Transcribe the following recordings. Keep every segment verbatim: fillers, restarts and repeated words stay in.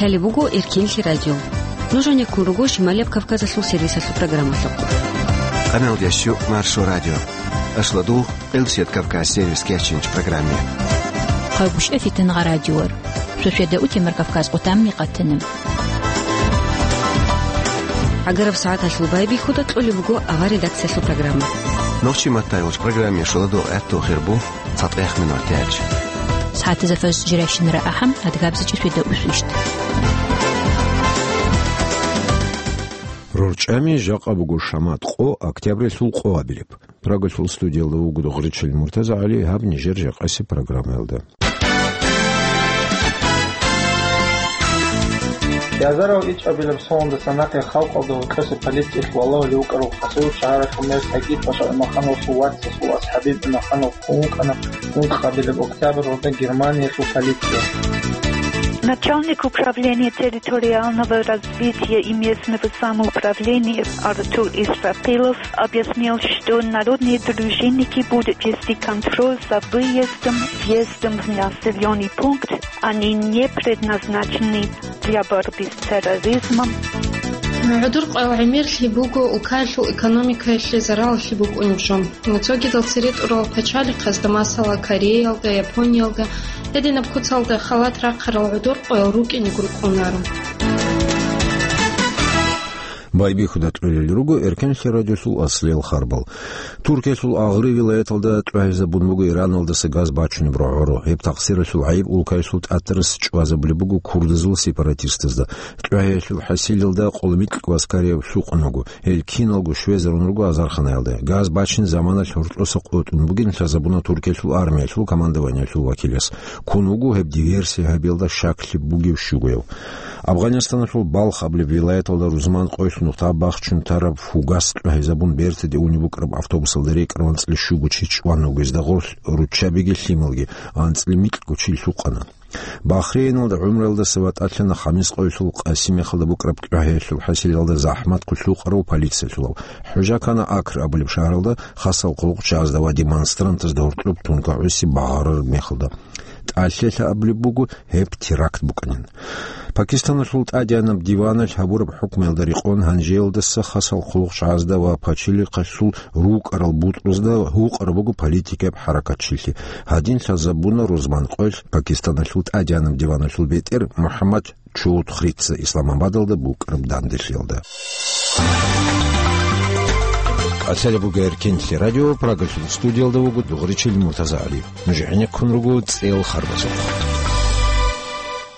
Гьале буго Эркенлъи радио. Нуж гьанеккун руго Шималияб Кавказалъул сервисалъул программалъухъ. Къамел ящу Маршо радио. Ашладул, Къилсият Кавказ сервис кечинч программе. Хъагушев Фитнагъа радиор. Шошеда утемар Кавказ къутамни къатана. Агараб сагӀаталъул байбихьуда кьолеб буго авар редакциялъул программа. Нохчи маттайолч программе шоладо гӀатту хирбу. ЦатӀех минут тяч. СагӀатазда фаз жирайщинара ахӀам, адгабзичӀи сведа усвищт. РорчӀами жакъа буго шамат къо, октябрилъул къо абилеб. Прагалъул студиялда вуго Гъречил МуртазагӀали, гьаб нижер жакъасеб программаялда. Язарав ичӀабилеб сондасан нахъе халкъалда гьоркьоса полициялъ валагьулев вукӀарав Хасавюрт шагьаралъул мер Сагид-паша ГӀумахановасул вацасул вас ХӀабиб ГӀумаханов хун вукӀана ункъабилеб октябрьалда Германиялъул полиция. Начальник управления территориального развития и местного самоуправления Артур Исрапилов объяснил, что народные дружинники будут вести контроль за выездом, въездом в населённый пункт, они не предназначены для борьбы с терроризмом. ГӀодор къоял гӀемерлъи буго улкаялъул экономикаялъе заралалъе букӀунеб жо. Цогидал цере тӀурал пачалихъазда, масала, Кореялда, Япониялда, гьединаб куцалда халат рахъарал гӀодор къоял рукӀинего рукӀунаро. Байбихьуда кьолел руго Эркенлъи радиосул аслиял харбал. Туркиялъул агъри вилаяталда тӀвагьизабун буго Ираналдаса газ бачунеб рогӀоро. Гьеб такъсиралъул гӀайиб улкаялъул тӀатарас чӀвазабулеб буго курдазул сепаратистазда. ТӀвагьиялъул хӀасилалда къоло микьго аскарияб лъукъун вуго. Гьел киналго щвезарун руго азарханаялда. Газ бачин заманалъ гьоркьоса къотӀун бугин лъазабуна Туркиялъул армиялъул командованиялъул вакилас. Ккун вуго гьеб диверсия гьабиялда щаклъи бугев щугояв. Афганистаналъул Балх абулеб вилаяталда рузман къоялъ нухда бахчун тараб фугас тӀвагьизабун бертаде унеб букӀараб автобусалда рекӀараб анцӀила щуго чи чӀван вуго, гьезда гъорлъ руччабиги лъималги, анцӀила микьго чи лъукъана. Бахрейналда гӀумруялдаса ватӀалъана хамис къоялъул къаси мехалда букӀараб тӀвагьиялъул хӀасилалда захӀмат хъулъукъарав полициялъулав. ХӀужа ккана Акр абулеб шагьаралда хасал хъулухъ чагӀазда ва демонстрантазда гьоркьоб тункагӀуси багъарараб мехалда. ТӀалъелъа абулеб буго, гьеб теракт букӀанин. Пакистаналъул тӀадеанаб диваналъ гьабураб хӀукмуялда рекъон гьанжеялдаса хасал хъулухъ чагӀазда ва пачалихъалъул рукӀарал бутӀрузда гьукъараб буго политикаяб хӀаракатчилъи. Гьадин лъазабуна рузман къоялъ Пакистаналъул тӀадеанаб диваналъул бетӀер МухӀаммад Чоудхрица Исламабадалда букӀараб данделъиялда. Къалъала бугер Кинлъи радио, Прагалъул студиялда вуго Дугъричил МуртазагӀали. Нуж гӀенеккун руго цӀел харбазухъ.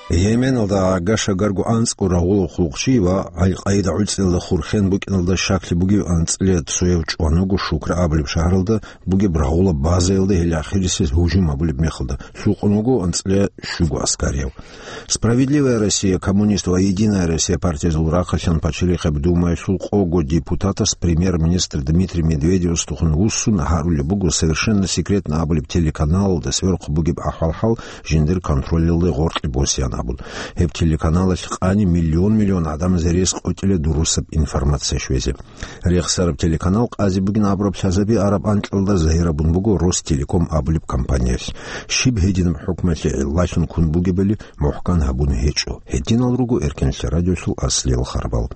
Йеменалда гӀага-шагарго анцӀго рагъулав хъулухъчи ва Аль-Къаида гӀуцӀиялда хурхен букӀиналда щаклъи бугев анцӀила цояв чӀван вуго Шукра абулеб шагьаралда бугеб рагъула базаялда гьел ахирисез гьужум гьабулеб мехалда. Лъукъун вуго анцӀила щуго аскарияв. Справедливая Россия, Коммунист ва Единая Россия партиязул рахъалъан пачалихъеб Думаялъул къого депутатас премьер-министр Дмитрий Медведевасдехун вуссун гьарулеб буго «Совершенно секретно» абулеб телеканалалда сверухъ бугеб ахӀвал-хӀал жиндир контролалде гъоркье босеян абун. Гьеб телеканалалъ къани миллион-миллион гӀадамазе рес къотӀила дурусаб информация щвезе. Рехсараб телеканал къази бугин абураб лъазаби араб анкьалда загьирабун буго Ростелеком абулеб компаниялъ. Щиб гьединаб хӀукмалъе гӀиллалъун ккун бугебали мухӀкан гьабун гьечӀо. Гьединал руго Эркенлъи радиолъул аслиял харбал.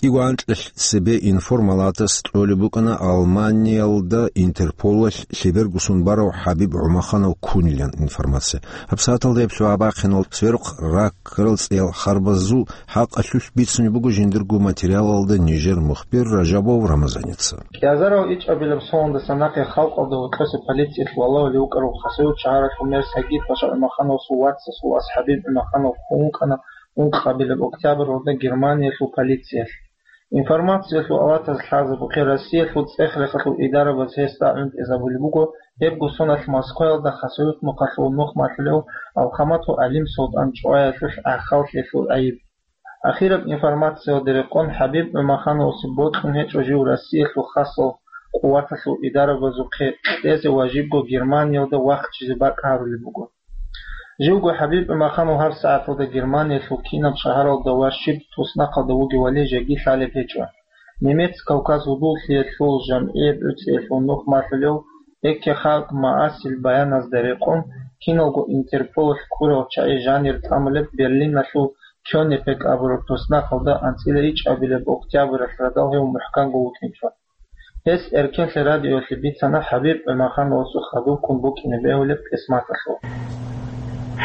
КӀиго анкьалъ цебе информалатас кьолеб букӀана Алманиялда Интерполалъ лъебергусун барав ХӀабиб ГӀумаханов ккунилан информация. ГьабсагӀаталда гьеб лъугӀа-бахъинал сверухъ раккарал цӀиял харбазул хӀакъалъулъ бицунеб буго жиндирго материалалда нижер мухбир Ражабов Рамазаница. Кьязарав ичӀабилеб сондасан нахъе халкъалда гьоркьоса полициялъ валагьулев вукӀарав Хасавюрт шагьаралъул мер Сагид-паша ГӀумахановасул вацасул вас ХӀабиб ГӀумаханов хун вукӀана ункъабилеб октябрьалда Германиялъул полициялъ. Информациялъул аватаз лъазабухъе, Россиялъул цӀех-рехалъул идарабаз гьесда гӀунтӀизабулеб буго, гьебго соналъ Москваялда Хасавюрт нухалъул нух малъулев Алхаматов ГӀалим-Султан чӀваялъулъ гӀахьаллъиялъул гӀайиб. Ахираб информациялде рекъон, ХӀабиб ГӀумахановасе бокьун гьечӀо жив Россиялъул хасал къуваталъул идарабазухъе кьезе ва жибго Германиялда вахчизе бакӀ гьарулеб буго. Живго ХӀабиб ГӀумаханов гьабсагӀаталда Германиялъул кинаб шагьаралда ва щиб туснахъалда вугевали жеги лъалеб гьечӀо. Немец-Кавказ гьудуллъиялъул жамгӀияб гӀуцӀиялъул нух малъулев Экке халкъ магӀасил баяназда рекъон, киналго Интерполалъ ккурал чагӀи жанир тӀамулеб Берлиналъул Кёнипек абураб туснахъалда анцӀила ичӀабилеб октябралъ радал гьев мухӀканго вукӀинчӀо. Гьес Эркенлъи радиоялъе бицана ХӀабиб ГӀумахановасул хадубккун букӀине бегьулеб кьисматалъул.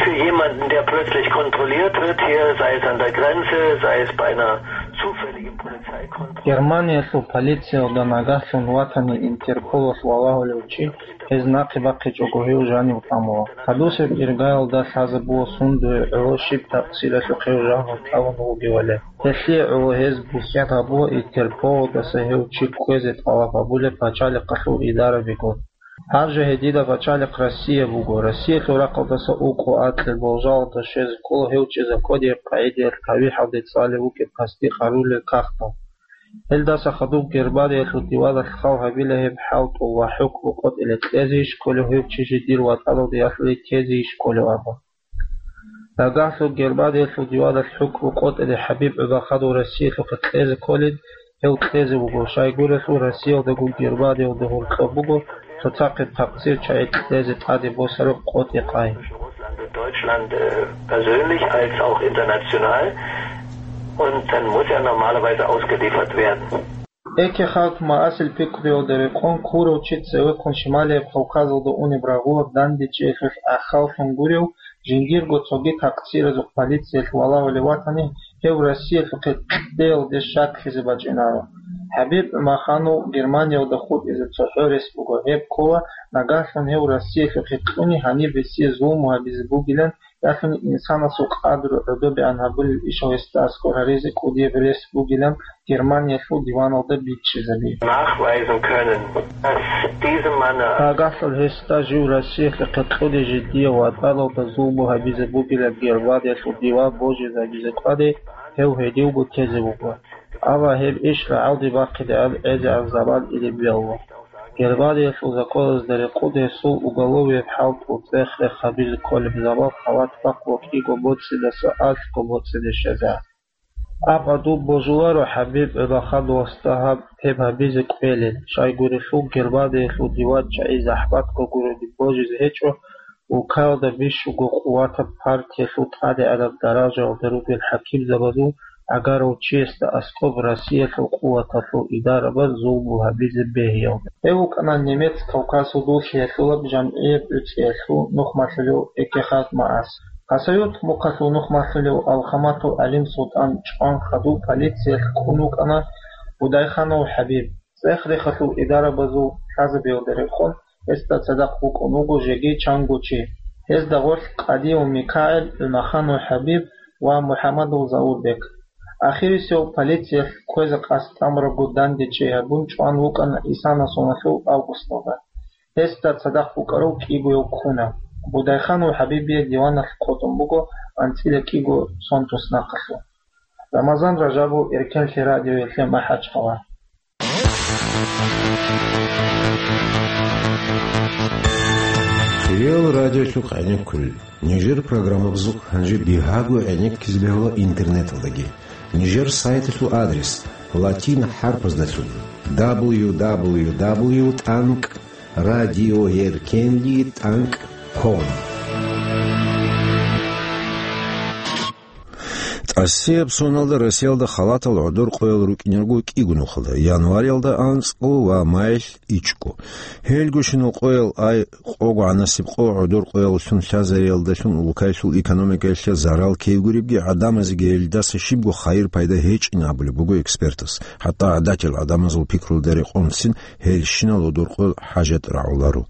Für jemanden, der plötzlich kontrolliert wird, hier, sei es an der Grenze, sei es bei einer zufälligen Polizeikontrolle. Германиялъул полициялда нагагьлъун ватани Интерполалъ валагьулев чи, гьез нахъе бахъичӀого гьев жанив тӀамула. Гьадусеб иргаялда лъазабула сундуе гӀоло щиб такъсиралъухъ гьев жанив тӀамун вугевали. Гьелъие гӀоло гьез бухьен гьабула Интерполалдаса гьев чи кквезе тӀалаб гьабулеб пачалихъалъул идарабигун. Гьаб жо гьединаб пачалихъ Россия буго. Россиялъул рахъалдаса укъо акье болжалалда щвезе ккола гьев чи законияб къагӀидаялъ тавихӀалде цӀалев вукӀин касди къарулел кагътал. Гьелдаса хадуб Германиялъул диваналъ хал гьабила гьеб хӀалтӀул ва хӀукму къотӀиле кьезейищ кколев гьев чи жиндир ватӀаналде ялъуни тезейищ кколев абун. Нагагьлъун Германиялъул диваналъ хӀукму къотӀине ХӀабиб ГӀумаханов Россиялъухъе кьезе кколин, гьев кьезе вуго, щайгурелъул Россиялдагун Германиялда гьоркьоб буго цоцахъе такъсир чагӀи кьезе тӀаде босараб къотӀи-къай. Russland und Deutschland, äh, persönlich als auch international. Und dann muss er normalerweise ausgeliefert werden. Экке халкъ магӀасил пикруялда рекъон ккурав чи цевеккун Шималияб Кавказалда унеб рагъулаб дандечӀеялъулъ гӀахьаллъун гурев, жиндирго цоги такъсиразухъ полициялъ валагьулев ватани, гьев Россиялъухъе кьеялде щаклъизе бачӀинаро. ХӀабиб ГӀумаханов Германиялда хутӀизе цохӀо рес буго, гьеб ккола, нагагьлъун гьев Россиялъухъе кьуни гьаниб гьесие зулму гьабизе бугилан, ялъуни инсанасул къадру гӀодобегӀан гьабулел ишал гьесда аскӀор гьаризе кӀудияб рес бугилан Германиялъул диваналда бичӀчӀизаби. Nachweisen können, dass diese Männer Нагагьлъун гьесда жив Россиялъухъе кьуни жиндие ватӀаналда зулму гьабизе бугилан Германиялъул диван божизабизе къвани, гьев гьединго тезе вуго. Амма гьеб иш рагӀалде бахъинегӀан гӀезегӀан заман ине бегьула. Германиялъул законазда рекъон гьесул уголовияб хӀалтӀул цӀех-рех гьабизе кколеб заман халат бахъ ва кӀиго боцӀидаса алъго боцӀиде щвезегӀан. Амма дун божуларо ХӀабиб ГӀумахановасда гьаб гьеб гьабизе кӀвелин, щайгурелъул Германиялъул диван чагӀи захӀматго гурони божизе гьечӀо, улкаялда бищунго къуватаб партиялъул тӀадегӀанаб даражаялда ругел хӀакимзабазул гӀагарав чиясда аскӀоб Россиялъул къуваталъул идарабаз зулму гьабизе бегьиялда. Гьев вукӀана Немец-Кавказ гьудуллъиялъулаб жамгӀияб гӀуцӀиялъул нухмалъулев Экке халкъ магӀас. Хасавюрт мухъалъул нухмалъулев Алхаматов ГӀалим-Султан чӀван хадуб полициялъ ккун вукӀана Будайханов ХӀабиб. ЦӀех-рехалъул идарабазул лъазабиялда рекъон гьесда цадахъ вукӀун вуго жеги чанго чи. Гьезда гъорлъ Къадиев МикагӀил, ГӀумаханов ХӀабиб ва МухӀамадов Заурбек. Ахирисев полициялъ кквезе къасд тӀамурабго дандечӀей гьабун чӀван вукӀана исана соналъул августалда. Гьесда цадахъ вукӀарав кӀигояв ккуна. Будайханов ХӀабибие диваналъ къотӀун буго анцӀила кӀиго сон туснахъалъув. Рамазан Ражабов, Эркенлъи радиоялъе МахӀачхъала. Хириял радиолъухъ гӀенеккулел. Нижер программабазухъ гьанже бигьаго гӀенеккизе бегьула интернеталдаги. Нижер сайталъул адрес: латин хӀарпаздалъун: дабл ю дабл ю дабл ю тӀанкӀ радиоеркенли тӀанкӀ ком. ТӀасияб соналда Россиялда халатал гӀодор къоял рукӀинарго кӀиго нухалда: январалда анцӀго ва майилъ ичӀго. Гьелгощинал къоял ай къого гӀанасеб къо гӀодор къояллъун лъазариялдалъун улкаялъул экономикаялъе зарал ккейгуребги, гӀадамазеги гьелдаса щибго хайир-пайда гьечӀин абулеб буго экспертас. ХӀатта гӀадатил гӀадамазул пикрулда рекъонцин гьелщинал гӀодор къоял хӀажат рагӀуларо.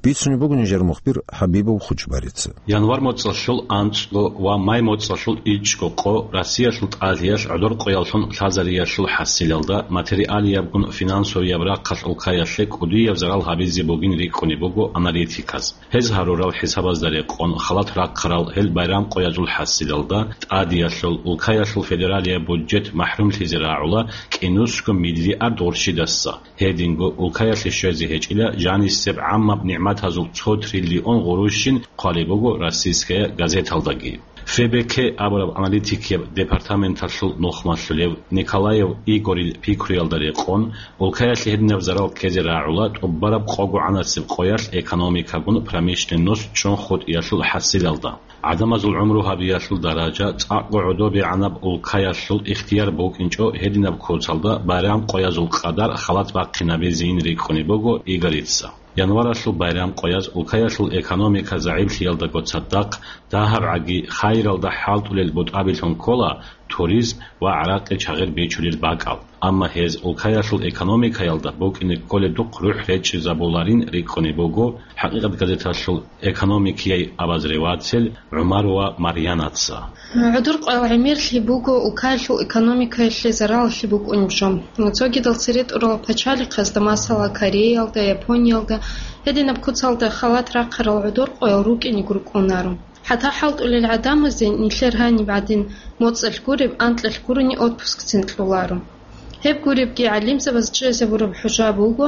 Бицунеб буго нижер мухбир ХӀабибов Хучбарица. Январь моцӀалъул анцӀго ва май моцӀалъул ичӀго къо Россиялъул тӀадиялъ гӀодор къояллъун лъазариялъул хӀасилалда материалиябгун финансовияб рахъалъ улкаялъе кӀудияб зарал гьабизе бугин рикӀкӀунеб буго аналитиказ. Гьез гьарурал хӀисабазда рекъон, халат рахъарал гьел байрам къоязул хӀасилалда тӀадиялъул улкаялъул федералияб бюджет махӀрумлъизе рагӀула кӀинусго миллиард гъурщидаса. Гьединго улкаялъе щвезе гьечӀила жанисеб гӀаммаб нигӀматазул цо триллион гъурущин хъвалеб буго «Российская газеталдаги». Фебеке абураб аналитикияб департаменталъул нухмалъулев Николаев Игорил пикруялда рекъон, улкаялъе гьединаб зарал ккезе рагӀула тӀубараб къогогӀанасеб къоялъ экономикагун промышленность чӀун хутӀиялъул хӀасилалда. ГӀадамазул гӀумру гьабиялъул даража цӀакъго гӀодобегӀанаб улкаялъул ихтияр букӀинчӀо гьединаб куцалда байрам къоязул къадар халат бахъинабизейин рикӀкӀунеб буго Игорица. Январалъул байрам къояз улкаялъул экономика загӀиплъиялдаго цадахъ дагьабгӀаги хайиралда хӀалтӀулел бутӀабилъун ккола туризм ва гӀаракъи чагъир бичулел бакӀал. Амма гьез улкаялъул экономикаялда букӀине кколедухъ рухӀ речӀчӀизабуларин рикӀкӀунеб буго ХӀакъикъат газеталъул экономикияй обозреватель ГӀумарова Марьянаца. ГӀодор къоял гӀемерлъи буго улкаялъул экономикаялъе зараллъи букӀунеб жо. Цогидал цере тӀурал пачалихъазда, масала, Кореялда, Япониялда, гьединаб куцалда халат рахъарал гӀодор къоял рукӀинего рукӀунаро. ХӀатта хӀалтӀулел гӀадамазе нилъер гьаниб гӀадин моцӀалъ гуреб, анкьалъ гурони отпускцин кьоларо. Гьеб гуребги, гӀалимзабаз чӀезабураб хӀужа буго,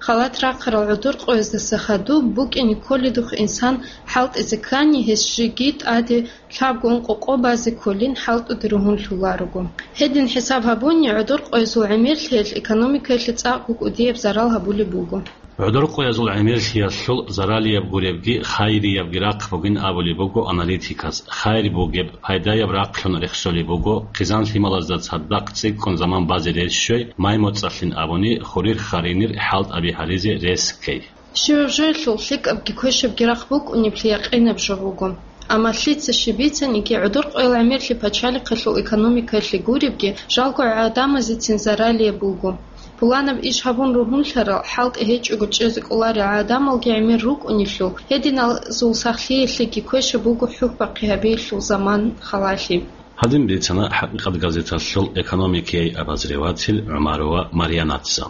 халат рахъарал гӀодор къояздаса хадуб букӀине кколедухъ инсан хӀалтӀизе ккани, гьес жеги тӀаде лъабго-ункъо къо базе кколин хӀалтӀуде ругьунлъуларого. Гьедин хӀисаб гьабуни, гӀодор къоязул гӀемерлъиялъ экономикаялъе цӀакъго кӀудияб зарал гьабулеб буго. ГӀодор къоязул гӀемерлъиялъул заралияб гуребги, хайириябги рахъ бугин абулеб буго аналитиказ. Хайир бугеб, пайдаяб рахълъун рехсолеб буго, хъизан-лъималазда цадахъ цӀикӀкӀун заман базе рес щвей, май-моцӀалъин абуни, хурир-харинир хӀалтӀаби гьаризе рес ккей. Щиваб жоялъул лъикӀабги квешабги рахъ букӀунеблъи якъинаб жо буго. Амма лъица щиб бицаниги, гӀодор къоял гӀемерлъи пачалихъалъул экономикаялъе гуребги, жалго гӀадамазецин заралияб буго. Пуланаб иш гьабун ругьунлъарал, хӀалтӀи гьечӀого чӀезе кӀоларел гӀадамалги гӀемер рукӀунелъул, гьединалъул сахлъиялъеги квешаб буго хӀухьбахъи гьабиялъул заман халалъи. Гьадин бицана ХӀакъикъат газеталъул экономикияй обозреватель ГӀумарова Марьянаца.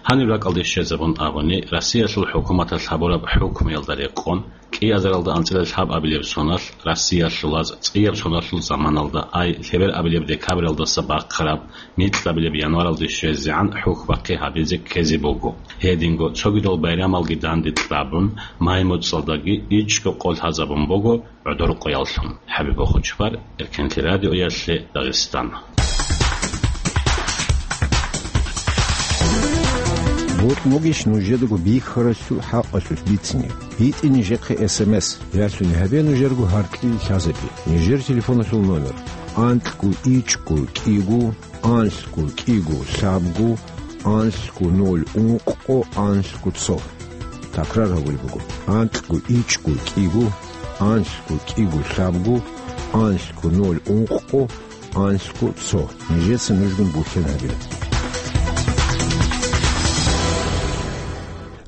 Гьаниб ракӀалде щвезабун абуни, Россиялъул хӀукуматалъ гьабураб хӀукмуялда рекъон, кӀиазаралда анцӀила лъабабилеб соналъ, Россиялъулаз цӀияб соналъул заманалда, ай лъеберабилеб декабралдаса бахъараб микьабилеб январалде щвезегӀан хӀухьбахъи гьабизе ккезе буго. Гьединго цогидал байрамалги данде кьабун, май-моцӀалдаги ичӀго къо лъазабун буго гӀодор къояллъун. ХӀабиб Бохочпар, Эркенлъи радиоялъе, Дагъистан. Бокьун бугищ нужедаго бихьаралъул хӀакъалъулъ бицине? БитӀе нижехъе эс эм эс, ялъуни гьабе нужерго гьаркьил лъазабе. Нижер телефоналъул номер: анкьго ичӀго кӀиго, анлъго кӀиго лъабго, анлъго ноль ункъго, анлъго цо. Такрар гьабулеб буго: анкьго ичӀго кӀиго, анлъго кӀиго лъабго, анлъго ноль ункъго, анлъго цо. Нижеца нужгун бухьен гьабила.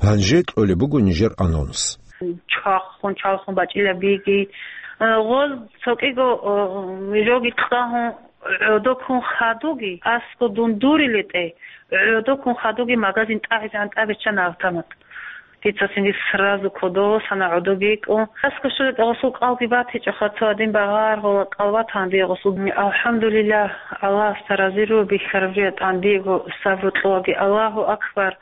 Гьанже кьолеб буго нижер анонс. Чвахун, чвалхун бачӀила биги. Э, гъоз цо кӀиго, э, жоги кьагьун, гӀодоккун хадуги, аскӀо дун дурилетӀе, гӀодоккун хадуги магазин тӀагӀизегӀан тӀабиччана автомат. Дица цинги сразу кодов сана гӀодоги йикӀун. АскӀо щвелетӀе гъосул кӀалги батичӀоха, цо гьадин багъар гъола кӀал батана дие гъосул. Алхамдулиллагь, Аллагьасда разиру бихьараб жо ятӀан диего сабру кьолаги. Аллагьу акбар!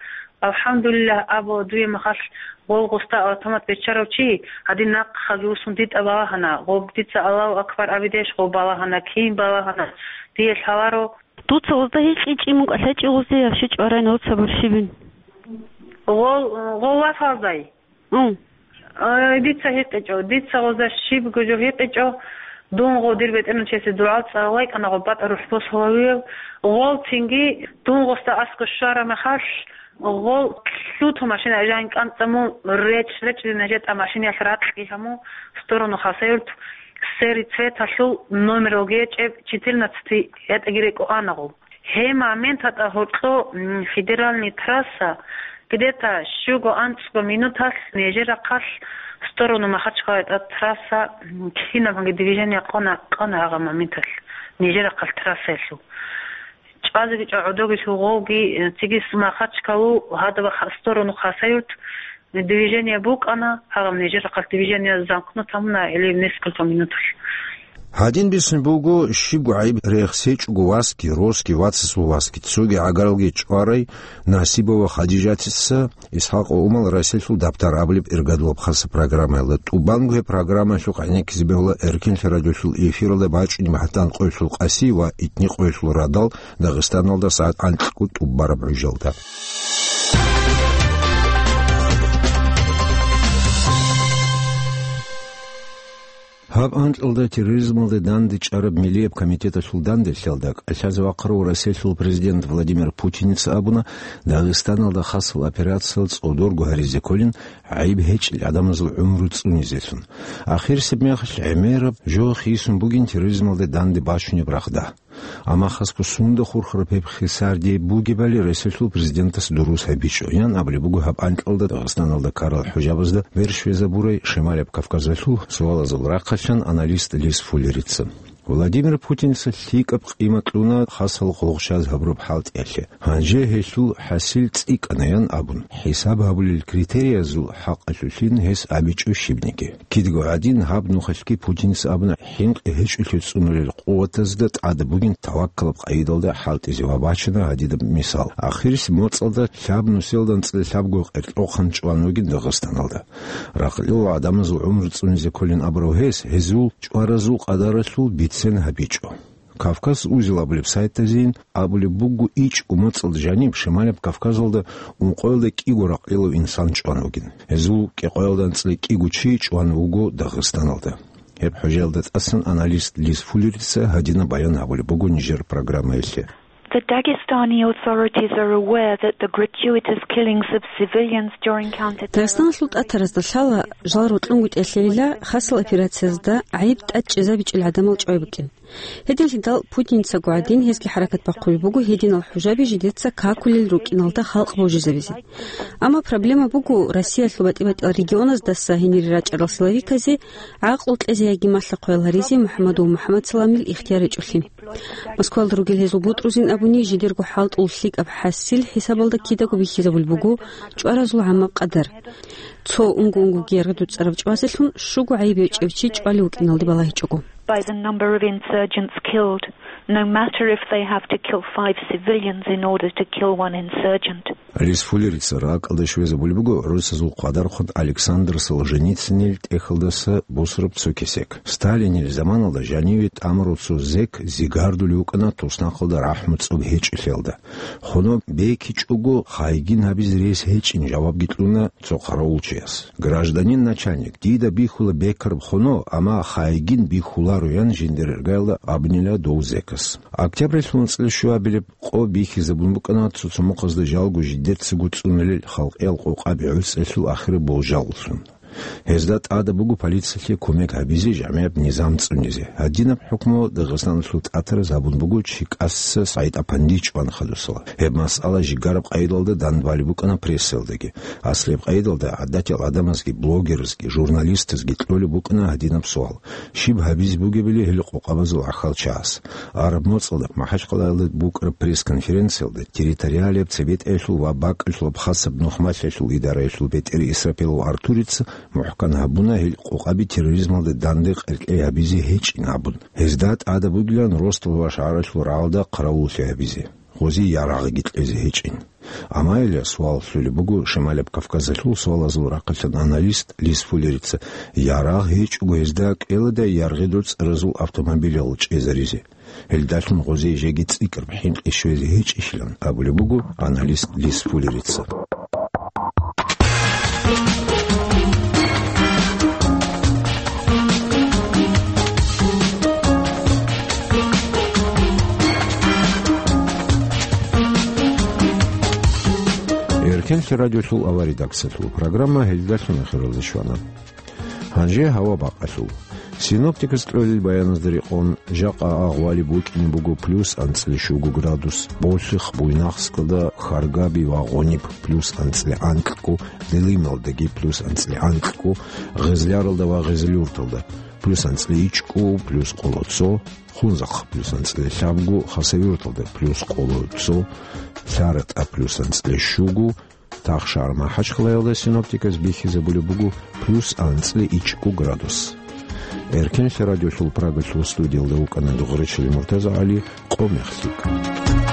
Алхамдулиллагь абула дуе махалъ гъол гъосда автомат беччарав чи, гьадин нахъаги вуссун дитӀа балагьана, гъоб дица Аллагьу акбар абидеш гъоб балагьана, кин балагьана, дие лъаларо. Дуца гъозда гьикъичӀин мукӀа, лъачӀи гъозде я щичӀ варай нуца бурщибин? Гъол, гъол васалдай? Ун. Ай, дица гьикъичӀо, дица гъозда щибго жо гьикъичӀо, дун гъо дир бетӀернав чиясе дугӀа цӀалайкӀана гъо батӀа рухӀ босулавиев, гъол цинги дун гъосда аскӀо щвара мехалъ, гъол лъуту машина жан кӀанцӀа мун реч-реч дина жетӀа машинаялъ ракьги гьаму сторону Хасавюрт, сери цветалъул номер вогечӀеб четырнадцатый ятӀаги рекӀо ана гъо. Гьеб моменталда гьоркьо, м, федеральный трасса, где-то щуго-анцӀго минуталъ нижер рахъалъ сторону Махачкъала тӀад трасса, м, кинабанги движение къона, къона гьагъа моменталъ нижер рахъалъ трассаялъул. ЧӀвазегичӀо гӀодобилъул гъовги, э, цигис Махачкъалу, гьадаб ха-, сторону Хасавюрт, движение букӀана, гьагъаб нижер рахъалъ движение замкнут гьамуна или несколько минуталъ. Гьадин бицун буго, щибго гӀайиб рехс гьечӀого васги, росги, вацасул васги, цоги гӀагаралги чӀварай Насибова Хадижатица Исхакъ Умал Расилъул дабтар абулеб иргадулаб хасаб программаялда. ТӀубанго гьеб программаялъухъ гӀенеккизе бегьула Эркенлъи радиолъул эфиралда бачӀунеб гьатӀан къоялъул къаси ва итни къоялъул радал Дагъистаналда сагӀат анкьго тӀубараб гӀужалда. Гьаб анкьалда терроризмалде дандечӀараб Миллияб комитеталъул данделъиялда кӀалъазе вахъарав Россиялъул президент Владимир Путиница абуна, Дагъистаналда хасал операциял цӀодорго гьаризе кколин, гӀайиб гьечӀел гӀадамазул гӀумру цӀунизелъун. Ахирисеб мехалъ гӀемераб жо хисун бугин терроризмалде данде бачунеб рагъда. Амма хасго сунда хурхараб гьеб хисарди бугебали Россиялъул президентас дурус гьабичӀо, ян абулеб буго гьаб анкьалда Дагъистаналда ккарал хӀужабазда бер щвезабурай Шималаб Кавказалъул суалазул рахъалъан аналист Лис Фуллерица. Владимир Путиница лъикӀаб къимат кьуна хасал гъугъчаз гьабураб хӀалтӀиялъе. Гьанже гьелъул хӀасил цӀикӀкӀана, ян абун, хӀисаб гьабулел критериязул хӀакъалъулъин гьес абичӀо щибниги. Кидаго гӀадин, гьаб нухалъги Путиница абуна, хӀинкъи гьечӀолъи цӀунулел къуватазда тӀада бугин таваккалаб къайдалда хӀалтӀизе ва бачана гьадинаб мисал. Ахирисеб моцӀалда лъаб нусиялда анцӀила лъабго къеркьохъан чӀван вугин Дагъистаналда. Ракълила гӀадамазул гӀумру цӀунизе кколин абурав гьес, гьезул чӀваразул къадаралъул бицен гьабичӀо. Кавказ узел абулеб сайтазейин абулеб буго, ичӀго моцӀалда жаниб Шималаб Кавказалда ункъоялда кӀиго ракълилав инсан чӀван вугин. Гьезул кӀикъоялда анцӀила кӀиго чи чӀван вуго Дагъистаналда. Гьеб хӀужаялда тӀасан аналист Лис Фуллерица гьадинаб баян гьабулеб буго нижер программаялъе. The Dagestani authorities are aware that the gratuitous killings of civilians during counter-terror Дагъистаналъул тӀатаразда лъала жал рокьунгутӀиялъейила хасал операциязда гӀайиб тӀадчӀезабичӀел гӀадамал чӀвай букӀин. Гьединлъидал Путиницаго гӀадин гьезги хӀаракат бахъулеб буго гьединал хӀужаби жидеца какулел рукӀиналда халкъ божизабизе. Амма проблема буго Россиялъул батӀи-батӀиял регионаздаса гьенире рачӀарал силовиказе гӀакълу кьезе яги малъа-хъваял гьаризе МухӀаммадов МухӀаммадсаламил ихтияр гьечӀолъи. Москвалда ругел гьезул бутӀрузин абуни, жидерго хӀалтӀул лъикӀаб хӀасил хӀисабалда кидаго бихьизабулеб буго чӀваразул гӀаммаб къадар. Цо унго-унгоги яргъи дуцӀараб чӀвазелъун щуго гӀайиб гьечӀев чи чӀвалев вукӀиналде балагьичӀого. By the number of insurgents killed, no matter if they have to kill five civilians in order to kill one insurgent. Лис Фуллерица ракӀалде щвезабулеб буго гӀурусазул къвадархъун Александр Солженицинил тӀехьалдаса бусураб цо кесек. Сталинил заманалда жаниве тӀамурав цо зек зигардулев вукӀана туснахъалда рахӀму цӀоб гьечӀелъиялда. Хоно бекичӀого, хайгин гьабизе рес гьечӀин, жавабги кьуна цо хъаравулчияс. Гражданин начальник, дида бихьула бекараб хоно, амма хайгин бихьуларо, ян Жиндирергаялда абунила дов зекас. Октябрьалъул анцӀила щуабилеб къо бихьизабун букӀана цоцомухъазда жалго жидерцаго цӀунулел халкъиял къокъаби гӀуцӀелъул ахираб болжаллъун. Гьезда тӀада буго полициялъе кумек гьабизе, жамигӀаб низам цӀунизе. Гьадинаб хӀукму Дагъистаналъул тӀатараз гьабун буго ЧкӀаса СагӀид-Апанди чӀван хадусала. Гьеб масъала жигараб къайдалда данбалеб букӀана прессаялдаги. Аслияб къайдалда гӀадатиял гӀадамазги, блогерзги, журналистазги кьолеб букӀана гьадинаб суал: щиб гьабизе бугебали гьел къокъабазул гӀахьалчагӀаз? Араб моцӀалда МахӀачхъалаялда букӀараб пресс-конференциялда территориалияб цебетӀаялъул ва бакӀалъулаб хасаб нухмалъиялъул идараялъул бетӀер Исрапилов Артурица мухӀкан гьабуна гьел къокъаби терроризмалда данде къеркьей гьабизе гьечӀин абун. Гьезда тӀада бугилан Ростов ва ШагӀаралъул рагӀалда хъаравуллъи гьабизе, гъозе ярагъги кьезе гьечӀин. Амма гьеле суал лъолеб буго Шималаб Кавказалъул суалазул рахъалъан аналист Лис Фуллерица: ярагъ гьечӀого гьезда кӀвеладай яргъидул цӀаразул автомобилал чӀезаризе? Гьелдалъун гъозе жеги цӀикӀкӀараб хӀинкъи щвезе гьечӀищилан абулеб буго аналист Лис Фуллерица. Эркенлъи радиолъул авария редакциялъул программа гьелдалъун ахиралде щвана. Гьанже гьава бакъалъул. Синоптикас кьолел баяназда рекъон, жакъа агъвалиб букӀине буго плюс анцӀила щуго градус, Болъихъ, Буйнакскалда, Харгаби ва Гъуниб плюс анцӀила анкьго, Делималдаги плюс анцӀила анкьго, Гъезляралда ва Гъезлъюрталда плюс анцӀила ичӀго, плюс къоло цо, Хунзахъ плюс анцӀила лъабго, Хасавюрталда плюс къоло цо, ЛъаратӀа плюс анцӀила щуго, Тахшар МахӀачхъалаялда синоптиказ бихьизабулеб буго плюс анцӀила ичӀго градус. Эркенлъи радиолъул Прагалъул студиялда вукӀана Дугъричилин МуртазагӀали, къо мехлъи.